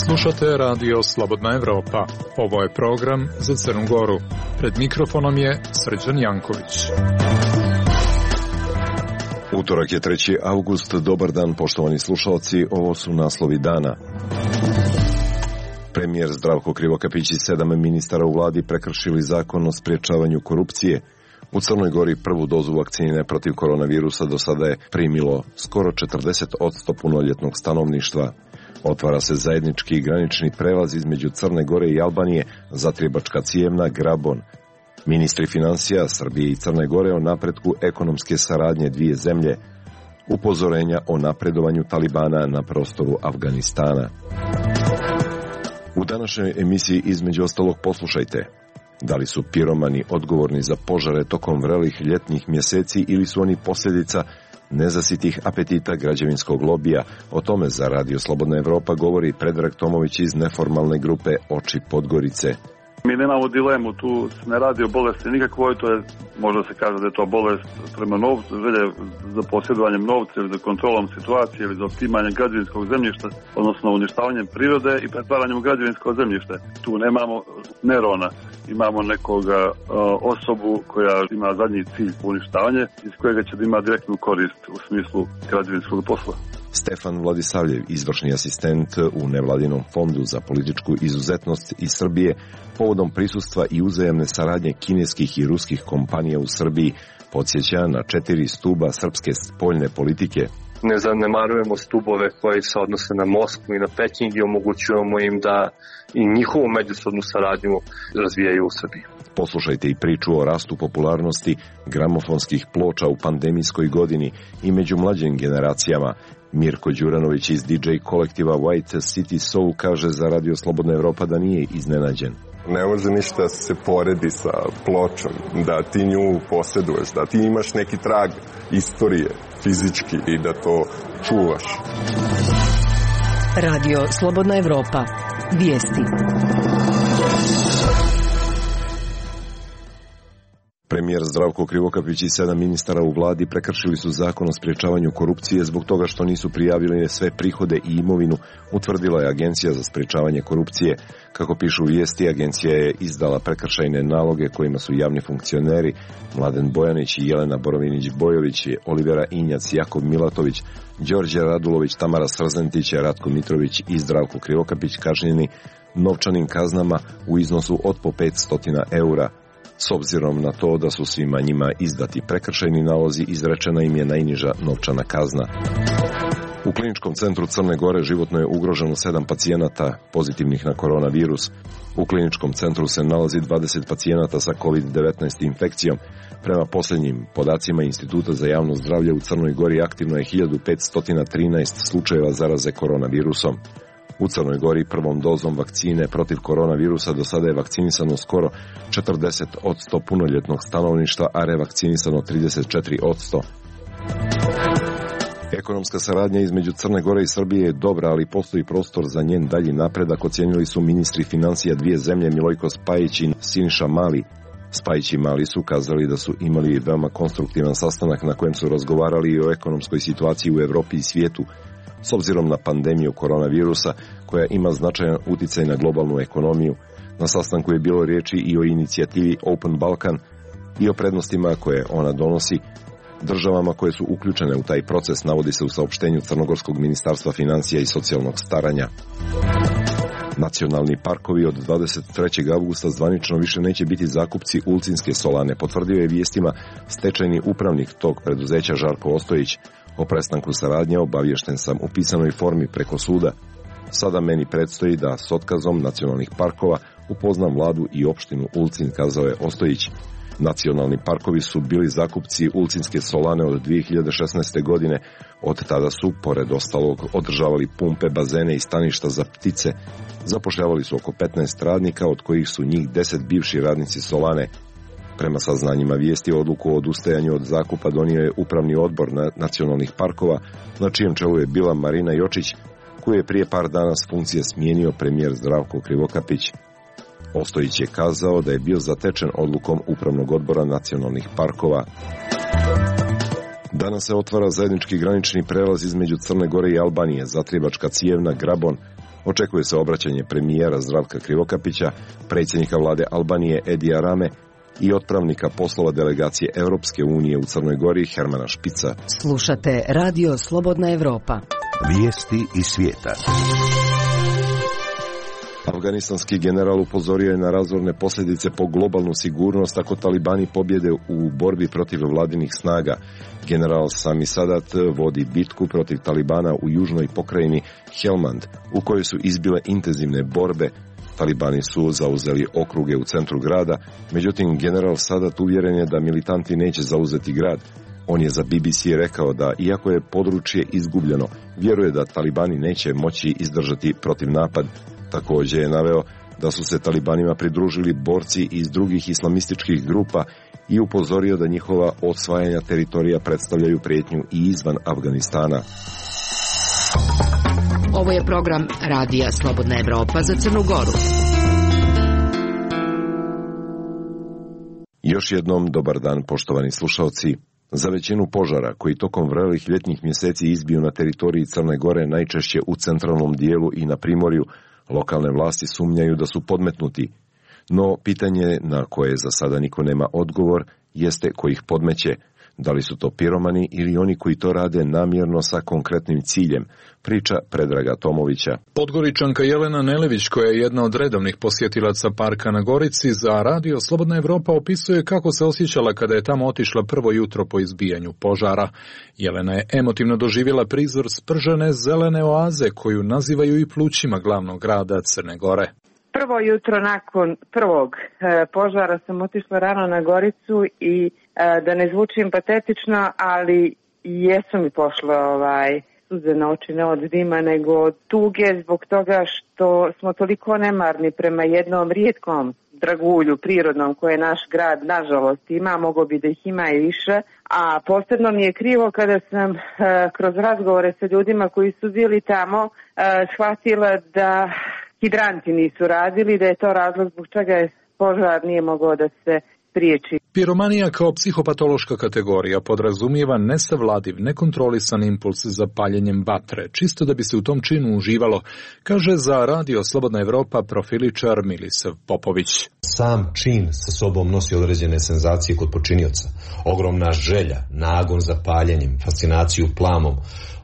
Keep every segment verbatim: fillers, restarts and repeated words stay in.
Slušate radio Slobodna Evropa. Ovo je program za Crnu Goru. Pred mikrofonom je Srđan Janković. Utorak je treći avgust. Dobar dan, poštovani slušalci. Ovo su naslovi dana. Premijer Zdravko Krivokapić i sedam ministara u vladi prekršili zakon o sprječavanju korupcije. U Crnoj Gori prvu dozu vakcine protiv koronavirusa do sada je primilo skoro četrdeset posto punoljetnog stanovništva. Otvara se zajednički granični prelaz između Crne Gore i Albanije, Zatrijebačka Cijevna, Grabon. Ministri financija Srbije i Crne Gore o napretku ekonomske saradnje dvije zemlje. Upozorenja o napredovanju Talibana na prostoru Afganistana. U današnjoj emisiji između ostalog poslušajte. Da li su piromani odgovorni za požare tokom vrelih ljetnih mjeseci ili su oni posljedica nezasitih apetita građevinskog lobija? O tome za Radio Slobodna Evropa govori Predrag Tomović iz neformalne grupe Oči Podgorice. Mi nemamo dilemu, tu se ne radi o bolesti nikakvoj, to je, možda se kaže da je to bolest prema novcu, želje za posjedovanjem novca ili za kontrolom situacije ili za otimanjem građevinskog zemljišta, odnosno uništavanjem prirode i pretvaranjem u građevinsko zemljište. Tu nemamo Nerona, imamo nekoga uh, osobu koja ima zadnji cilj uništavanje, iz kojega će da ima direktnu korist u smislu građevinskog posla. Stefan Vladisavljev, izvršni asistent u nevladinom fondu za političku izuzetnost iz Srbije, povodom prisustva i uzajamne saradnje kineskih i ruskih kompanija u Srbiji, podsjeća na četiri stuba srpske spoljne politike. Ne zanemarujemo stubove koji se odnose na Moskvu i na Peking i omogućujemo im da i njihovu međusobnu saradnju razvijaju u Srbiji. Poslušajte i priču o rastu popularnosti gramofonskih ploča u pandemijskoj godini i među mlađim generacijama. Mirko Đuranović iz di džej kolektiva White City Soul kaže za Radio Slobodna Evropa da nije iznenađen. Ne može ništa se poredi sa pločom, da ti nju posjeduješ, da ti imaš neki trag istorije fizički i da to čuvaš. Radio Slobodna Evropa. Vijesti. Premijer Zdravko Krivokapić i sedam ministara u vladi prekršili su zakon o sprječavanju korupcije zbog toga što nisu prijavili sve prihode i imovinu, utvrdila je Agencija za sprječavanje korupcije. Kako pišu vijesti, agencija je izdala prekršajne naloge kojima su javni funkcioneri Mladen Bojanić i Jelena Borovinić-Bojović, Olivera Injac, Jakov Milatović, Đorđe Radulović, Tamara Srzentić, Ratko Mitrović i Zdravko Krivokapić kažnjeni novčanim kaznama u iznosu od po petsto eura. S obzirom na to da su svima njima izdati prekršajni nalozi, izrečena im je najniža novčana kazna. U Kliničkom centru Crne Gore životno je ugroženo sedam pacijenata pozitivnih na koronavirus. U Kliničkom centru se nalazi dvadeset pacijenata sa kovid devetnaest infekcijom. Prema posljednjim podacima Instituta za javno zdravlje u Crnoj Gori aktivno je hiljadu petsto trinaest slučajeva zaraze koronavirusom. U Crnoj Gori prvom dozom vakcine protiv koronavirusa do sada je vakcinisano skoro četrdeset posto punoljetnog stanovništva, a revakcinisano trideset četiri posto. Ekonomska saradnja između Crne Gore i Srbije je dobra, ali postoji prostor za njen dalji napredak, ocijenili su ministri financija dvije zemlje Milojko Spajić i Siniša Mali. Spajić i Mali su kazali da su imali veoma konstruktivan sastanak na kojem su razgovarali i o ekonomskoj situaciji u Evropi i svijetu. S obzirom na pandemiju koronavirusa, koja ima značajan uticaj na globalnu ekonomiju, na sastanku je bilo riječi i o inicijativi Open Balkan i o prednostima koje ona donosi državama koje su uključene u taj proces, navodi se u saopštenju Crnogorskog ministarstva financija i socijalnog staranja. Nacionalni parkovi od dvadeset trećeg avgusta zvanično više neće biti zakupci Ulcinske solane, potvrdio je vijestima stečajni upravnik tog preduzeća Žarko Ostojić. O prestanku saradnje obaviješten sam u pisanoj formi preko suda. Sada meni predstoji da s otkazom nacionalnih parkova upoznam vladu i opštinu Ulcin, kazao je Ostojić. Nacionalni parkovi su bili zakupci Ulcinske solane od dvije hiljade šesnaeste. godine. Od tada su, pored ostalog, održavali pumpe, bazene i staništa za ptice. Zapošljavali su oko petnaest radnika, od kojih su njih deset bivši radnici solane. Prema saznanjima vijesti, odluku o odustajanju od zakupa donio je upravni odbor nacionalnih parkova, na čijem čelu je bila Marina Jočić, koju je prije par dana s funkcije smijenio premijer Zdravko Krivokapić. Ostojić je kazao da je bio zatečen odlukom upravnog odbora nacionalnih parkova. Danas se otvara zajednički granični prelaz između Crne Gore i Albanije, Zatrijebačka Cijevna, Grabon. Očekuje se obraćanje premijera Zdravka Krivokapića, predsjednika vlade Albanije Edija Rame i otpravnika poslova delegacije Europske unije u Crnoj Gori Hermana Špica. Slušate Radio Slobodna Evropa. Vijesti iz svijeta. Afganistanski general upozorio je na razorne posljedice po globalnu sigurnost ako talibani pobjede u borbi protiv vladinih snaga. General Sami Sadat vodi bitku protiv talibana u južnoj pokrajini Helmand, u kojoj su izbile intenzivne borbe. Talibani su zauzeli okruge u centru grada, međutim general Sadat uvjeren je da militanti neće zauzeti grad. On je za B B C rekao da, iako je područje izgubljeno, vjeruje da talibani neće moći izdržati protiv napad. Također je naveo da su se talibanima pridružili borci iz drugih islamističkih grupa i upozorio da njihova osvajanja teritorija predstavljaju prijetnju i izvan Afganistana. Ovo je program Radija Slobodna Evropa za Crnu Goru. Još jednom dobar dan, poštovani slušalci. Za većinu požara koji tokom vrelih ljetnih mjeseci izbiju na teritoriji Crne Gore, najčešće u centralnom dijelu i na primorju, lokalne vlasti sumnjaju da su podmetnuti. No, pitanje na koje za sada niko nema odgovor jeste ko ih podmeće. Da li su to piromani ili oni koji to rade namjerno sa konkretnim ciljem, priča Predraga Tomovića. Podgoričanka Jelena Nelević, koja je jedna od redovnih posjetilaca parka na Gorici, za Radio Slobodna Evropa opisuje kako se osjećala kada je tamo otišla prvo jutro po izbijanju požara. Jelena je emotivno doživjela prizor spržene zelene oaze koju nazivaju i plućima glavnog grada Crne Gore. Prvo jutro nakon prvog e, požara sam otišla rano na Goricu i e, da ne zvučim patetično, ali jesu mi pošle ovaj, suze na oči, ne od dima, nego od tuge zbog toga što smo toliko nemarni prema jednom rijetkom dragulju prirodnom koje naš grad nažalost ima, mogo bi da ih ima i više, a posebno mi je krivo kada sam e, kroz razgovore sa ljudima koji su bili tamo e, shvatila da hidranti nisu radili, da je to razlog zbog čega je požar nije mogao da se spriječi. Piromanija kao psihopatološka kategorija podrazumijeva nesavladiv, nekontrolisan impuls za paljenjem vatre, čisto da bi se u tom činu uživalo, kaže za Radio Slobodna Evropa profiličar Milisav Popović. Sam čin sa sobom nosi određene senzacije kod počinioca. Ogromna želja, nagon za paljenjem, fascinaciju plamom,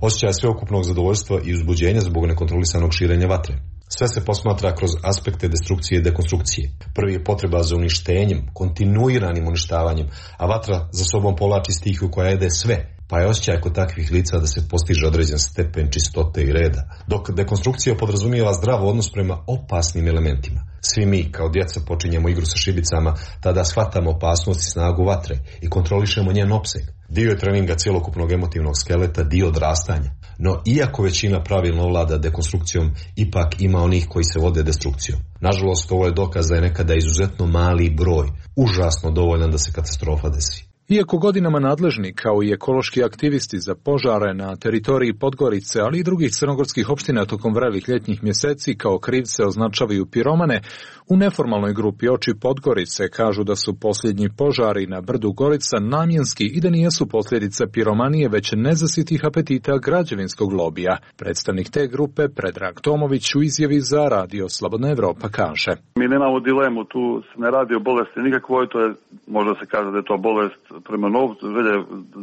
osjećaj sveukupnog zadovoljstva i uzbuđenja zbog nekontrolisanog širenja vatre. Sve se posmatra kroz aspekte destrukcije i dekonstrukcije. Prvi je potreba za uništenjem, kontinuiranim uništavanjem, a vatra za sobom povlači stihiju koja jede sve, pa je osjećaj kod takvih lica da se postiže određen stepen čistote i reda. Dok dekonstrukcija podrazumijeva zdrav odnos prema opasnim elementima. Svi mi, kao djeca, počinjemo igru sa šibicama, tada shvatamo opasnost i snagu vatre i kontrolišemo njen opseg. Dio je treninga cjelokupnog emotivnog skeleta, dio odrastanja. No, iako većina pravilno vlada dekonstrukcijom, ipak ima onih koji se vode destrukcijom. Nažalost, ovo je dokaz da je nekada izuzetno mali broj, užasno dovoljan da se katastrofa desi. Iako godinama nadležni, kao i ekološki aktivisti za požare na teritoriji Podgorice, ali i drugih crnogorskih opština tokom vrelih ljetnih mjeseci kao krivce označavaju piromane, u neformalnoj grupi Oči Podgorice kažu da su posljednji požari na brdu Gorica namjenski i da nijesu posljedica piromanije, već nezasitih apetita građevinskog lobija. Predstavnik te grupe, Predrag Tomović, u izjavi za Radio Slobodna Evropa kaže: Mi nemamo dilemu, tu se ne radi o bolesti nikakvoj, to je, možda se kaže da je to bolest prema novcu, želje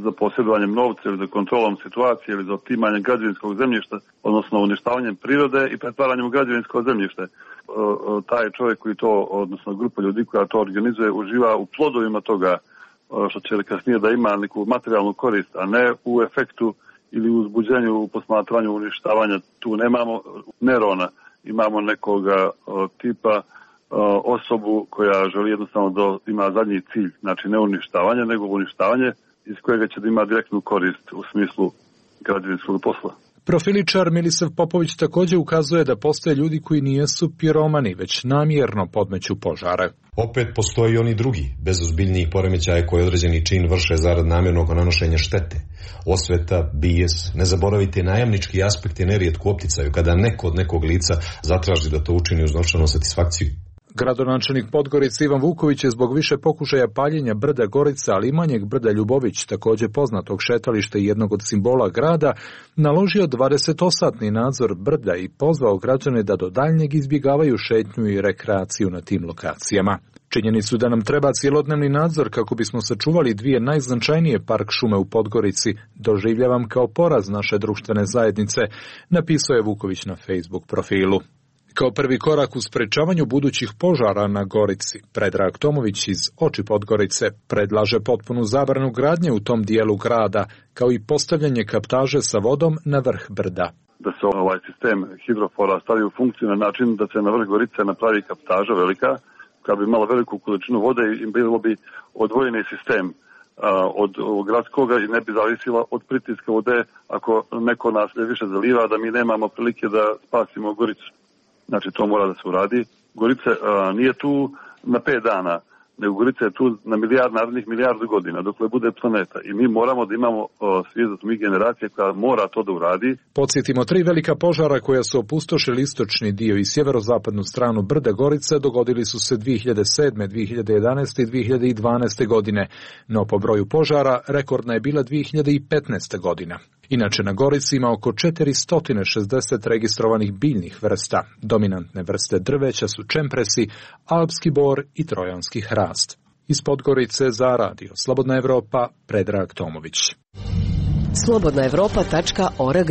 za posjedovanjem novca ili za kontrolom situacije ili za otimanjem građevinskog zemljišta, odnosno uništavanjem prirode i pretvaranjem u građevinsko zemljište. Taj čovjek koji to, odnosno grupa ljudi koja to organizuje, uživa u plodovima toga, što će kasnije da ima neku materijalnu korist, a ne u efektu ili u uzbuđenju, u posmatranju uništavanja. Tu nemamo nerona, imamo nekoga tipa osobu koja želi jednostavno da ima zadnji cilj, znači ne uništavanje, nego uništavanje iz kojega će da ima direktnu korist u smislu građevinskog posla. Profiličar Milisav Popović također ukazuje da postoje ljudi koji nijesu piromani, već namjerno podmeću požare. Opet postoji oni drugi, bez ozbiljnijih poremećaja koji određeni čin vrše zarad namjernog nanošenja štete. Osveta, bijes, ne zaboravite najamnički aspekti nerijetko opticaju kada neko od nekog lica zatraži da to učini uz novčanu satisfakciju. Gradonačelnik Podgorice Ivan Vuković je zbog više pokušaja paljenja brda Gorica, ali i manjeg brda Ljubović, također poznatog šetališta i jednog od simbola grada, naložio dvadesetosatni nadzor brda i pozvao građane da do daljnjeg izbjegavaju šetnju i rekreaciju na tim lokacijama. Činjenicu da nam treba cjelodnevni nadzor kako bismo sačuvali dvije najznačajnije park šume u Podgorici doživljavam kao poraz naše društvene zajednice, napisao je Vuković na Facebook profilu. Kao prvi korak u sprečavanju budućih požara na Gorici, Predrag Tomović iz Oči Podgorice predlaže potpunu zabranu gradnje u tom dijelu grada, kao i postavljanje kaptaže sa vodom na vrh brda. Da se ovaj sistem hidrofora stavi u funkciju na način da se na vrh Gorice napravi kaptaža velika, koja bi imala veliku količinu vode i bilo bi odvojeni sistem od gradskoga i ne bi zavisila od pritiska vode ako neko nas više zaliva, da mi nemamo prilike da spasimo Goricu. Znači, to mora da se uradi. Gorica a, nije tu na pet dana, nego Gorica je tu na milijard, narednih milijardu godina, dokle bude planeta. I mi moramo da imamo svijest mi generacije koja mora to da uradi. Podsjetimo, tri velika požara koja su opustošili istočni dio i sjeverozapadnu stranu brda Gorice dogodili su se dvije hiljade sedme, dvije hiljade jedanaeste i dvije hiljade dvanaeste godine, no po broju požara rekordna je bila dvije hiljade petnaeste godina. Inače, na Gorici ima oko četiristo šezdeset registrovanih biljnih vrsta. Dominantne vrste drveća su čempresi, alpski bor i trojanski hrast. Iz Podgorice za radio Slobodna Evropa, Predrag Tomović. slobodna evropa tačka org.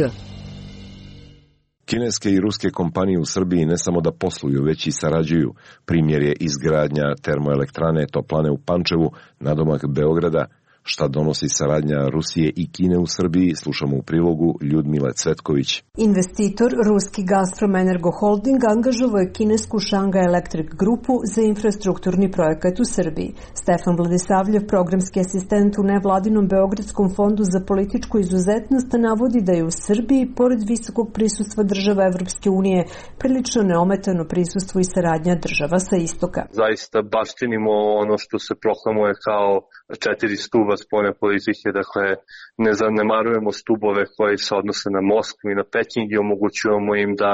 Kineske i ruske kompanije u Srbiji ne samo da posluju, već i sarađuju. Primjer je izgradnja termoelektrane Toplane u Pančevu, nadomak Beograda. Šta donosi saradnja Rusije i Kine u Srbiji, slušamo u prilogu Ljudmile Cvetković. Investitor, ruski Gazprom Energo Holding, angažovao je kinesku Shanghai Electric grupu za infrastrukturni projekat u Srbiji. Stefan Vladisavljev, programski asistent u nevladinom Beogradskom fondu za političku izuzetnost, navodi da je u Srbiji, pored visokog prisustva država Evropske unije, prilično neometano prisustvo i saradnja država sa istoka. Zaista baštinimo ono što se proklamuje kao četiri stuba spoljne politike, dakle ne zanemarujemo stubove koji se odnose na Moskvu i na Peking i omogućujemo im da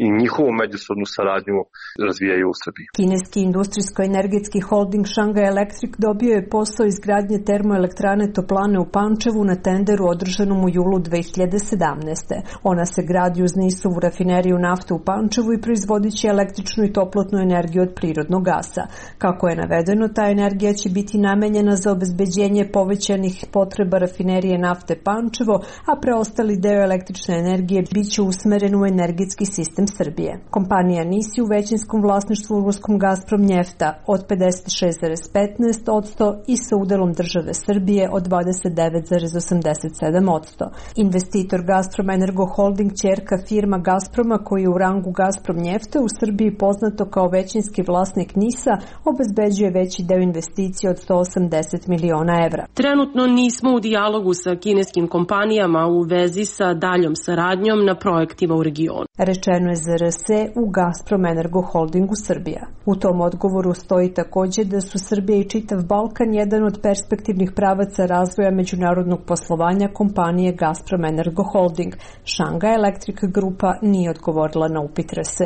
i njihovu međusobnu saradnju razvijaju u Srbiji. Kineski industrijsko-energetski holding Shanghai Electric dobio je posao izgradnje termoelektrane Toplane u Pančevu na tenderu održanom u julu dve hiljade sedamnaeste. Ona se gradi uz Nisovu rafineriju nafte u Pančevu i proizvodit će električnu i toplotnu energiju od prirodnog gasa. Kako je navedeno, ta energija će biti namenjena za obezbeđenje povećanih potreba rafinerije nafte Pančevo, a preostali deo električne energije biće usmeren u energetski sistem Srbije. Kompanija N I S je u većinskom vlasništvu u ruskom Gazprom Njefta od pedeset šest zarez petnaest posto i sa udelom države Srbije od dvadeset devet zarez osamdeset sedam posto. Investitor Gazprom Energo Holding, ćerka firma Gazproma, koji je u rangu Gazprom Njefta u Srbiji poznato kao većinski vlasnik N I S-a, obezbeđuje veći deo investicije od sto osamdeset miliona evra. Trenutno nismo u dijalogu sa kineskim kompanijama u vezi sa daljom saradnjom na projektima u regionu. Rečeno je Z R S u Gazprom Energo Holdingu Srbija. U tom odgovoru stoji također da su Srbija i čitav Balkan jedan od perspektivnih pravaca razvoja međunarodnog poslovanja kompanije Gazprom Energo Holding. Shanghai Electric grupa nije odgovorila na upit R S.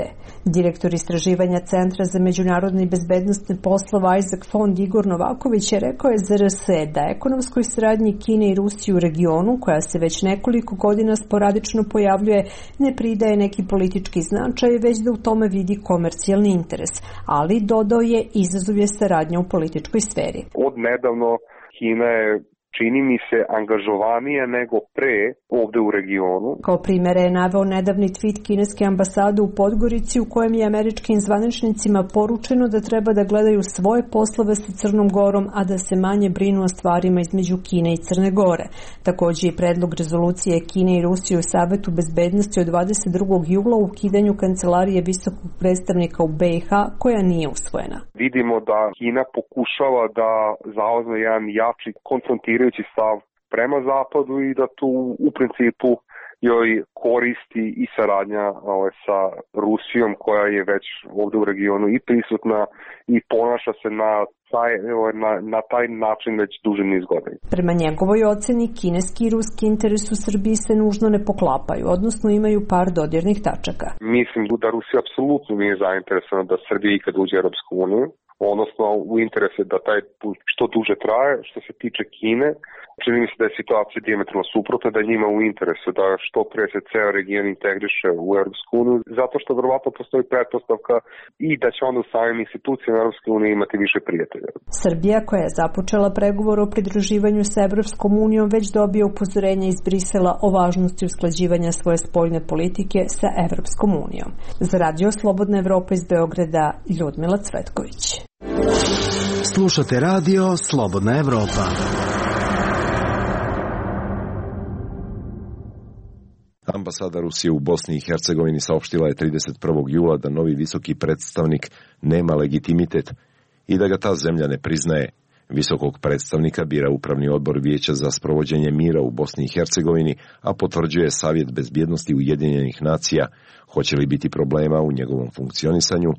Direktor istraživanja Centra za međunarodne i bezbednostne poslova Isaac Fond Igor Novaković je rekao je Z R S da ekonomskoj saradnji Kine i Rusije u regionu, koja se već nekoliko godina sporadično pojavljuje, ne pridaje neki politički značaj, već da u tome vidi komercijalni interes, ali dodao je izazov je saradnja u političkoj sferi. Od nedavno Kina je, čini mi se, angažovanije nego pre ovde u regionu. Kao primjere je naveo nedavni tweet kineske ambasade u Podgorici u kojem je američkim zvaničnicima poručeno da treba da gledaju svoje poslove sa Crnom Gorom, a da se manje brinu o stvarima između Kine i Crne Gore. Također je predlog rezolucije Kine i Rusije u Savetu bezbednosti od dvadeset drugog jula u ukidanju kancelarije visokog predstavnika u B i H koja nije usvojena. Vidimo da Kina pokušava da zauzme jedan jači konfrontirajući stav prema zapadu i da tu u principu joj koristi i saradnja ovaj, sa Rusijom koja je već ovdje u regionu i prisutna i ponaša se na na, na taj način već duži niz godina. Prema njegovoj oceni, kineski i ruski interes u Srbiji se nužno ne poklapaju, odnosno imaju par dodirnih tačaka. Mislim da Rusija apsolutno nije zainteresovana da Srbija ikad uđe u Europsku uniju, odnosno u interesu da taj put što duže traje. Što se tiče Kine, čini mi se da je situacija dijametralno suprotna, da njima u interesu da što pre se ceo region integriše u Europsku uniju, zato što verovatno postoji pretpostavka i da će onda u samim institucijama Europske unije imati više prijatelja. Srbija, koja je započela pregovor o pridruživanju sa Evropskom unijom, već dobije upozorenje iz Brisela o važnosti usklađivanja svoje spoljne politike sa Evropskom unijom. Za Radio Slobodna Evropa iz Beograda, Ljudmila Cvetković. Slušate Radio Slobodna Evropa. Ambasada Rusije u Bosni i Hercegovini saopštila je trideset prvog jula da novi visoki predstavnik nema legitimitet i da ga ta zemlja ne priznaje. Visokog predstavnika bira Upravni odbor Vijeća za sprovođenje mira u Bosni i Hercegovini, a potvrđuje Savjet bezbjednosti Ujedinjenih nacija. Hoće li biti problema u njegovom funkcionisanju?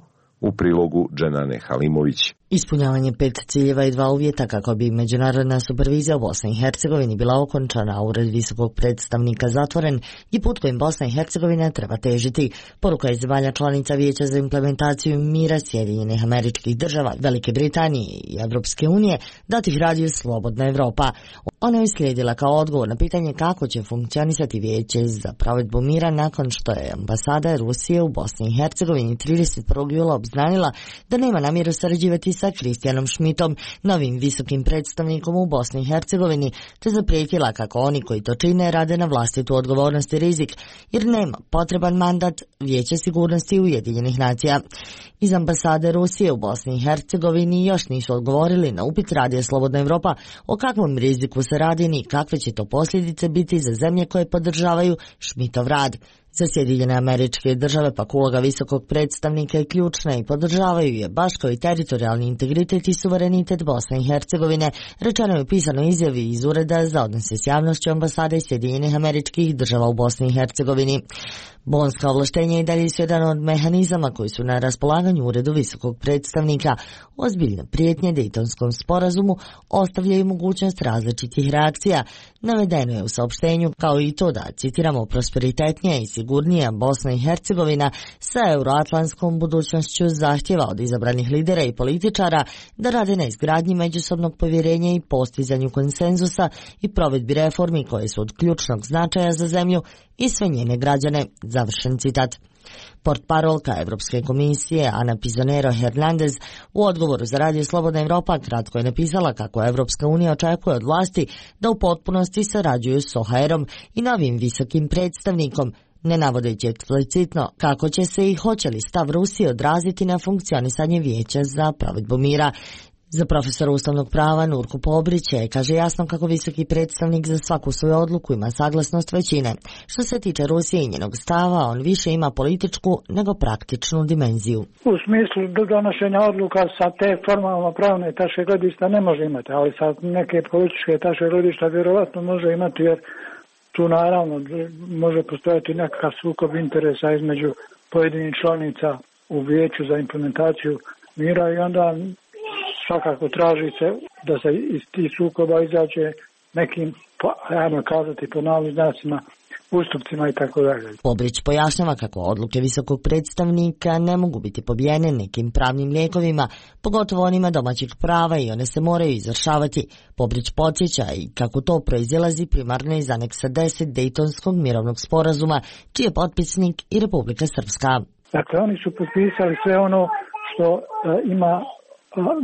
U prilogu Dženane Halimović. Ispunjavanje pet ciljeva i dva uvjeta kako bi međunarodna supervizija u Bosni i Hercegovini bila okončana, a ured visokog predstavnika zatvoren i put kojim Bosna i Hercegovina treba težiti. Poruka je zemalja članica Vijeća za implementaciju mira Sjedinjenih Američkih Država, Velike Britanije i Evropske unije, dati ih Radio Slobodna Evropa. Ona je slijedila kao odgovor na pitanje kako će funkcionisati Vijeće za provedbu mira nakon što je ambasada Rusije u Bosni i Hercegovini trideset prvog jula obznanila da nema namjeru sarađivati sa Kristijanom Šmitom, novim visokim predstavnikom u Bosni i Hercegovini, te zaprijetila kako oni koji to čine rade na vlastitu odgovornost i rizik, jer nema potreban mandat Vijeća sigurnosti Ujedinjenih nacija. Iz ambasade Rusije u Bosni i Hercegovini još nisu odgovorili na upit Radija Slobodna Evropa o kakvom riziku se radi ni kakve će to posljedice biti za zemlje koje podržavaju Šmitov rad. Za Sjedinjene Američke Države pak uloga visokog predstavnika je ključna i podržavaju je baš kao i teritorijalni integritet i suverenitet Bosne i Hercegovine, rečeno je u pisanoj izjavi iz Ureda za odnose s javnošću ambasade Sjedinjenih Američkih Država u Bosni i Hercegovini. Bonska ovlaštenja i dalje su jedan od mehanizama koji su na raspolaganju Uredu visokog predstavnika. Ozbiljne prijetnje Dejtonskom sporazumu ostavljaju mogućnost različitih reakcija. Navedeno je u saopštenju kao i to da, citiramo, prosperitetnija i sigurnija Bosna i Hercegovina sa euroatlantskom budućnošću zahtjeva od izabranih lidera i političara da rade na izgradnji međusobnog povjerenja i postizanju konsenzusa i provedbi reformi koje su od ključnog značaja za zemlju i sve njene građane. Završen citat. Portparolka Evropske komisije Ana Pizonero Hernandez u odgovoru za Radio Slobodna Evropa kratko je napisala kako Evropska unija očekuje od vlasti da u potpunosti sarađuju s O H R-om i novim visokim predstavnikom, ne navodeći eksplicitno kako će se i hoće li stav Rusije odraziti na funkcionisanje Vijeća za provedbu mira. Za profesora ustavnog prava Nurku Pobrića je, kaže, jasno kako visoki predstavnik za svaku svoju odluku ima saglasnost većine. Što se tiče Rusije i njenog stava, on više ima političku nego praktičnu dimenziju. U smislu donošenja odluka sa te formalno pravne tačke gledišta ne može imati, ali sa neke političke tačke gledišta vjerovatno može imati, jer tu naravno može postojati nekakav sukob interesa između pojedinih članica u Vijeću za implementaciju mira i onda svakako traži se da se iz tih sukoba izađe nekim, ajmo kazati po navodnim znacima, ustupcima i tako dalje. Pobrić pojašnjava kako odluke visokog predstavnika ne mogu biti pobijene nekim pravnim lijekovima, pogotovo onima domaćih prava, i one se moraju izvršavati. Pobrić podsjeća i kako to proizilazi primarno iz aneksa deset Dejtonskog mirovnog sporazuma, čiji je potpisnik i Republika Srpska. Dakle, oni su potpisali sve ono što uh, ima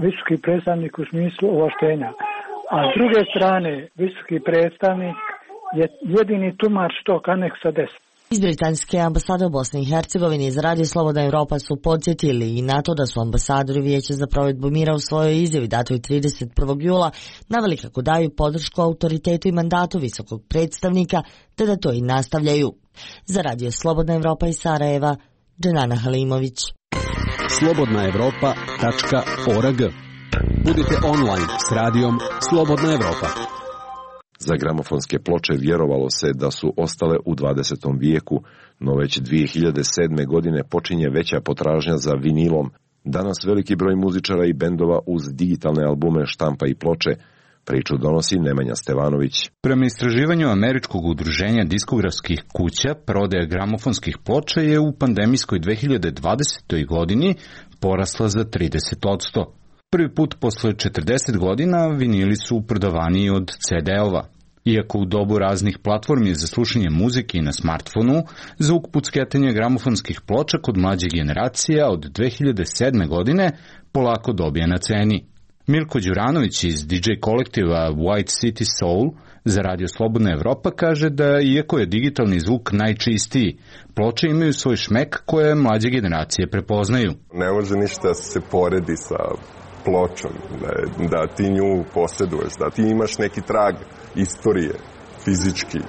visoki predstavnik u smislu ovlaštenja. A s druge strane, visoki predstavnik je jedini tumač tog aneksa deset. Iz britanske ambasade u Bosni i Hercegovini za Radio Slobodna Evropa su podsjetili i na to da su ambasadori Vijeća za provedbu mira u svojoj izjavi datoj trideset prvog jula naveli kako daju podršku autoritetu i mandatu visokog predstavnika, te da to i nastavljaju. Za Radio Slobodna Evropa iz Sarajeva, Dženana Halimović. slobodna evropa tačka org. Budite online s radijom Slobodna Evropa. Za gramofonske ploče vjerovalo se da su ostale u dvadesetom vijeku, no već dvije hiljade sedme. godine počinje veća potražnja za vinilom. Danas veliki broj muzičara i bendova uz digitalne albume štampa i ploče. Priču donosi Nemanja Stevanović. Prema istraživanju Američkog udruženja diskografskih kuća, prodaja gramofonskih ploča je u pandemijskoj dve hiljade dvadesetoj. godini porasla za trideset posto. Prvi put posle četrdeset godina vinili su prodavaniji od ce de-ova. Iako u dobu raznih platformi za slušanje muzike i na smartfonu, zvuk pucketanja gramofonskih ploča kod mlađe generacija od dve hiljade sedme. godine polako dobija na ceni. Milko Đuranović iz di džej kolektiva White City Soul za Radio Slobodna Evropa kaže da iako je digitalni zvuk najčistiji, ploče imaju svoj šmek koje mlađe generacije prepoznaju. Ne može ništa se poredi sa pločom, da, da ti nju posjeduješ, da ti imaš neki trag istorije, fizički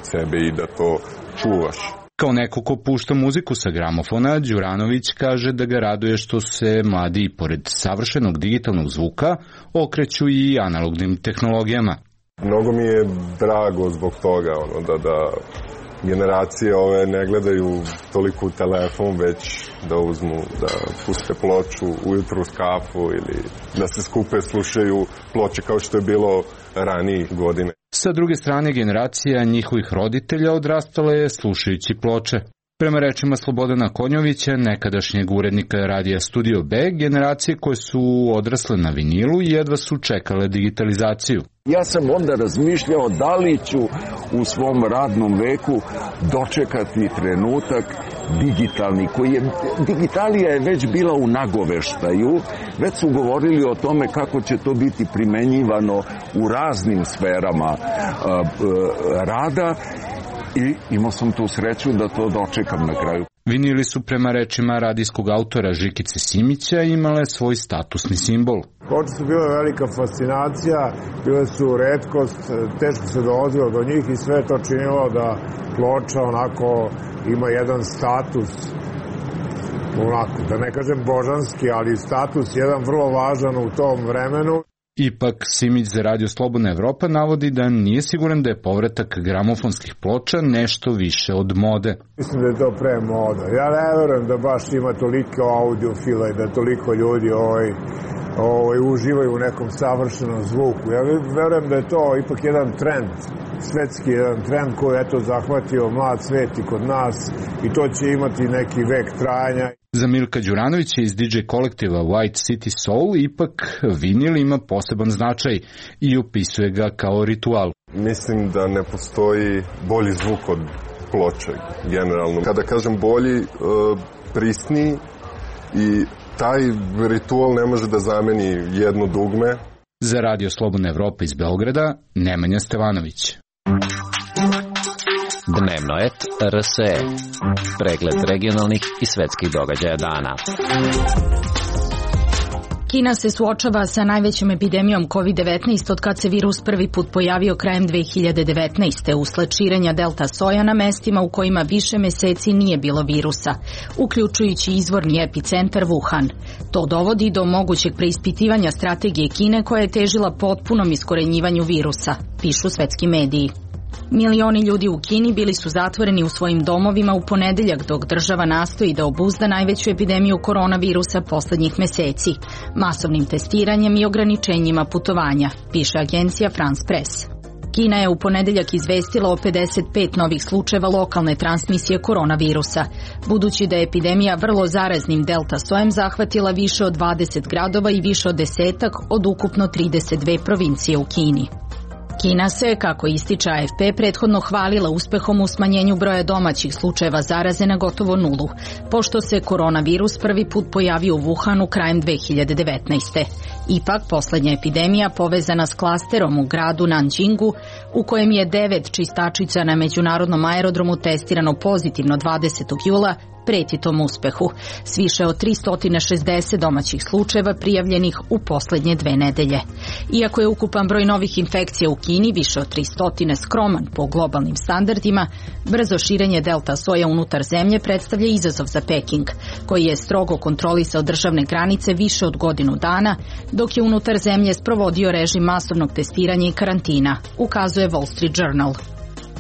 sebe i da to čuvaš. Kao neko ko pušta muziku sa gramofona, Đuranović kaže da ga raduje što se mladi, pored savršenog digitalnog zvuka, okreću i analognim tehnologijama. Mnogo mi je drago zbog toga ono, da, da generacije ove ne gledaju toliko u telefon, već da uzmu, da puste ploču ujutru uz kafu ili da se skupe, slušaju ploče kao što je bilo ranijih godine. Sa druge strane, generacija njihovih roditelja odrastala je slušajući ploče. Prema rečima Slobodana Konjovića, nekadašnjeg urednika radija Studio B, generacije koje su odrasle na vinilu jedva su čekale digitalizaciju. Ja sam onda razmišljao da li ću u svom radnom veku dočekati trenutak digitalni, koji je, digitalija je već bila u nagoveštaju, već su govorili o tome kako će to biti primenjivano u raznim sferama uh, uh, rada i imao sam tu sreću da to dočekam na kraju. Vinili su prema rečima radijskog autora Žikice Simića imale svoj statusni simbol. Ploče su bile velika fascinacija, bile su retkost, teško se dolazilo do njih i sve to činilo da ploča onako ima jedan status, onako, da ne kažem božanski, ali status jedan vrlo važan u tom vremenu. Ipak, Simić za Radio Slobodna Evropa navodi da nije siguran da je povratak gramofonskih ploča nešto više od mode. Mislim da je to pre moda. Ja ne verujem da baš ima toliko audiofila i da toliko ljudi ovaj, ovaj, uživaju u nekom savršenom zvuku. Ja verujem da je to ipak jedan trend, svetski jedan trend koji je eto zahvatio mlad svet i kod nas i to će imati neki vek trajanja. Za Milka Đuranovića iz di džej kolektiva White City Soul ipak vinil ima poseban značaj i opisuje ga kao ritual. Mislim da ne postoji bolji zvuk od ploče, generalno. Kada kažem bolji, prisniji i taj ritual ne može da zameni jedno dugme. Za Radio Slobodna Evropa iz Beograda, Nemanja Stevanović. Dnevno et er es e. Pregled regionalnih i svetskih događaja dana. Kina se suočava sa najvećom epidemijom kovid devetnaest od kad se virus prvi put pojavio krajem dve hiljade devetnaeste. usled širenja delta soja na mestima u kojima više meseci nije bilo virusa, uključujući izvorni epicentar Wuhan. To dovodi do mogućeg preispitivanja strategije Kine koja je težila potpunom iskorenjivanju virusa, pišu svetski mediji. Milioni ljudi u Kini bili su zatvoreni u svojim domovima u ponedeljak dok država nastoji da obuzda najveću epidemiju koronavirusa poslednjih meseci, masovnim testiranjem i ograničenjima putovanja, piše agencija France Press. Kina je u ponedeljak izvestila o pedeset pet novih slučajeva lokalne transmisije koronavirusa, budući da je epidemija vrlo zaraznim delta sojem zahvatila više od dvadeset gradova i više od desetak od ukupno trideset dve provincije u Kini. Kina se, kako ističe A F P, prethodno hvalila uspehom u smanjenju broja domaćih slučajeva zaraze na gotovo nulu, pošto se koronavirus prvi put pojavio u Wuhanu krajem dve hiljade devetnaeste. Ipak, poslednja epidemija povezana s klasterom u gradu Nanjingu, u kojem je devet čistačica na međunarodnom aerodromu testirano pozitivno dvadesetog jula, preti tom uspehu, s više od tristo šezdeset domaćih slučajeva prijavljenih u poslednje dve nedelje. Iako je ukupan broj novih infekcija u Kini više od tristo skroman po globalnim standardima, brzo širenje delta soja unutar zemlje predstavlja izazov za Peking, koji je strogo kontrolisao državne granice više od godinu dana, dok je unutar zemlje sprovodio režim masovnog testiranja i karantina, ukazuje Wall Street Journal.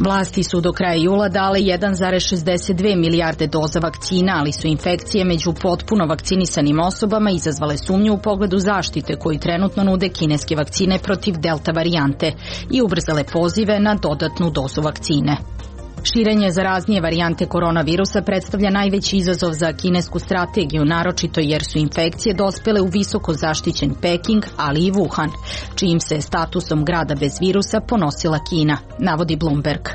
Vlasti su do kraja jula dale jedan zarez šezdeset dve milijarde doza vakcina, ali su infekcije među potpuno vakcinisanim osobama izazvale sumnju u pogledu zaštite koju trenutno nude kineske vakcine protiv delta varijante i ubrzale pozive na dodatnu dozu vakcine. Širenje zaraznije varijante koronavirusa predstavlja najveći izazov za kinesku strategiju, naročito jer su infekcije dospele u visoko zaštićen Peking, ali i Wuhan, čijim se statusom grada bez virusa ponosila Kina, navodi Bloomberg.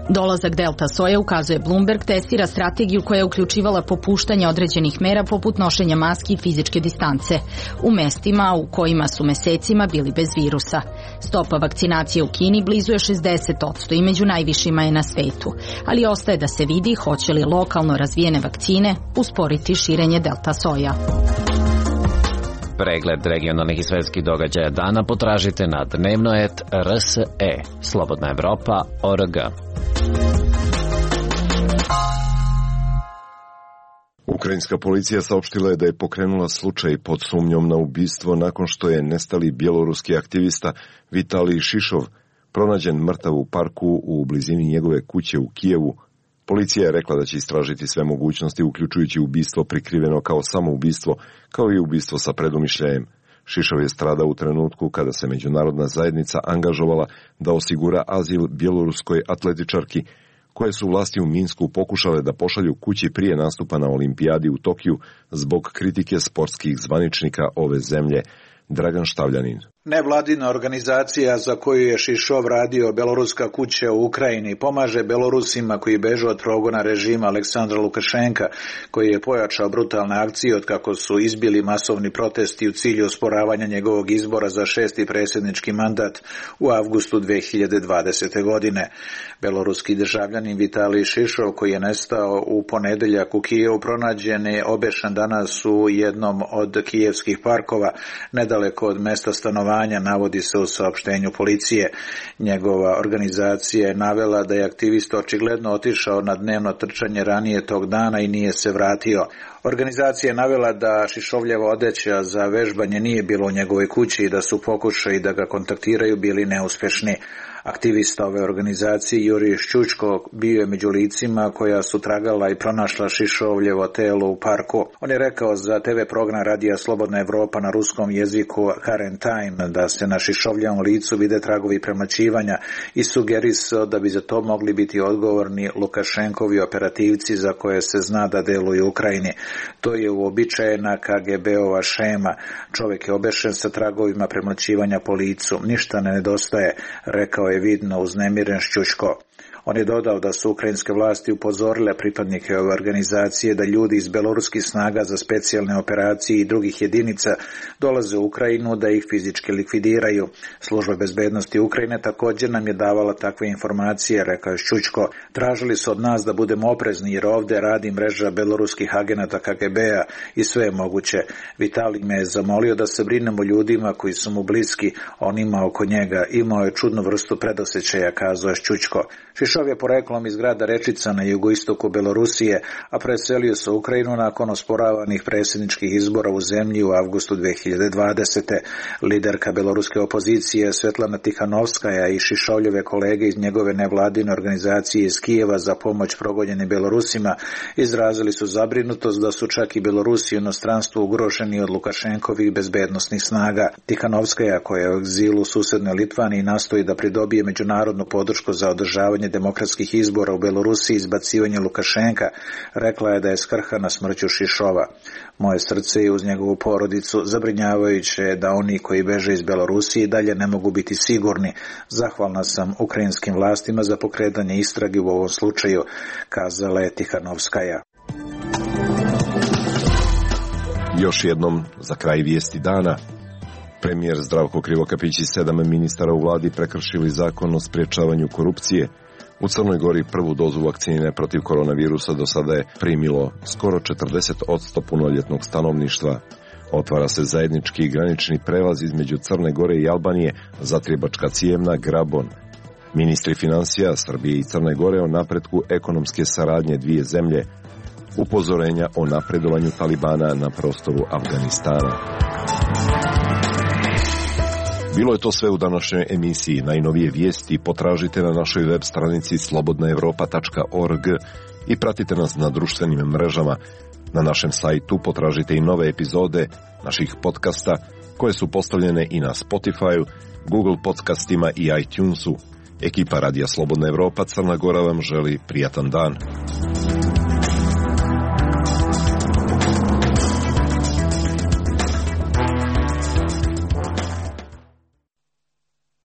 Dolazak delta soje, ukazuje Bloomberg, testira strategiju koja je uključivala popuštanje određenih mera poput nošenja maski i fizičke distance u mestima u kojima su mesecima bili bez virusa. Stopa vakcinacije u Kini blizu je šezdeset posto i među najvišima je na svetu, ali ostaje da se vidi hoće li lokalno razvijene vakcine usporiti širenje delta soja. Pregled regionalnih i svetskih događaja dana potražite na dnevno et r s e, Slobodna Evropa, o r g. Ukrajinska policija saopštila je da je pokrenula slučaj pod sumnjom na ubistvo nakon što je nestali bjeloruski aktivista Vitalij Šišov pronađen mrtav u parku u blizini njegove kuće u Kijevu. Policija je rekla da će istražiti sve mogućnosti, uključujući ubistvo prikriveno kao samoubistvo, kao i ubistvo sa predumišljajem. Šišov je stradao u trenutku kada se međunarodna zajednica angažovala da osigura azil bjeloruskoj atletičarki, koje su vlasti u Minsku pokušale da pošalju kući prije nastupa na olimpijadi u Tokiju zbog kritike sportskih zvaničnika ove zemlje. Dragan Štavljanin. Nevladina organizacija za koju je Šišov radio, Beloruska kuća u Ukrajini, pomaže Belorusima koji bežu od progona režima Aleksandra Lukašenka, koji je pojačao brutalne akcije od kako su izbili masovni protesti u cilju osporavanja njegovog izbora za šesti predsjednički mandat u avgustu dve hiljade dvadesete. godine. Beloruski državljanin Vitalij Šišov, koji je nestao u ponedeljak u Kijevu, pronađen je obešen danas u jednom od kijevskih parkova, nedaleko od mesta stanovanja, navodi se u saopštenju policije. Njegova organizacija je navela da je aktivista očigledno otišao na dnevno trčanje ranije tog dana i nije se vratio. Organizacija je navela da Šišovljeva odeća za vežbanje nije bilo u njegovoj kući i da su pokušaji da ga kontaktiraju bili neuspješni. Aktivista ove organizacije Jurij Šćučko bio je među licima koja su tragala i pronašla Šišovljevo telo u parku. On je rekao za te ve program Radija Slobodna Evropa na ruskom jeziku Current Time da se na Šišovljevom licu vide tragovi premlaćivanja i sugerisao da bi za to mogli biti odgovorni Lukašenkovi operativci za koje se zna da deluju u Ukrajini. To je uobičajena ka ge be-ova šema. Čovjek je obešen sa tragovima premlaćivanja po licu. Ništa ne nedostaje, rekao je vidno uznemiren Šćučko. On je dodao da su ukrajinske vlasti upozorile pripadnike ove organizacije da ljudi iz beloruskih snaga za specijalne operacije i drugih jedinica dolaze u Ukrajinu da ih fizički likvidiraju. Služba bezbednosti Ukrajine također nam je davala takve informacije, rekao je Šćučko. Tražili su od nas da budemo oprezni jer ovdje radi mreža beloruskih agenata ka ge be-a i sve je moguće. Vitalij me je zamolio da se brinemo ljudima koji su mu bliski, onima oko njega. Imao je čudnu vrstu predosjećaja, kazao je Šćučko. Šišov je poreklom iz grada Rečica na jugoistoku Belorusije, a preselio se u Ukrajinu nakon osporavanih predsjedničkih izbora u zemlji u avgustu dve hiljade dvadesete. Liderka beloruske opozicije Svetlana Tihanovskaja i Šišovljeve kolege iz njegove nevladine organizacije iz Kijeva za pomoć progonjenim Belorusima izrazili su zabrinutost da su čak i Belorusi u inostranstvu ugroženi od Lukašenkovih bezbednosnih snaga. Tihanovskaja, koja je u egzilu u susednoj Litvaniji, nastoji da pridobije međunarodnu podršku za održavanje demokratskih izbora u Belorusiji i izbacivanje Lukašenka, rekla je da je skrhana smrću Šišova. Moje srce je uz njegovu porodicu, zabrinjavajuće je da oni koji beže iz Belorusije dalje ne mogu biti sigurni. Zahvalna sam ukrajinskim vlastima za pokretanje istrage u ovom slučaju, kazala je Tihanovskaja. Još jednom za kraj vijesti dana. Premijer Zdravko Krivokapić i sedam ministara u vladi prekršili zakon o sprječavanju korupcije. U Crnoj Gori prvu dozu vakcine protiv koronavirusa do sada je primilo skoro četrdeset posto punoljetnog stanovništva. Otvara se zajednički granični prelaz između Crne Gore i Albanije, Zatrijebačka Cijevna, Grabon. Ministri financija Srbije i Crne Gore o napretku ekonomske saradnje dvije zemlje. Upozorenja o napredovanju Talibana na prostoru Afganistana. Bilo je to sve u današnjoj emisiji. Najnovije vijesti potražite na našoj web stranici slobodna evropa tačka org i pratite nas na društvenim mrežama. Na našem sajtu potražite i nove epizode naših podcasta koje su postavljene i na Spotify, Google podcastima i iTunesu. Ekipa Radija Slobodna Evropa Crna Gora vam želi prijatan dan.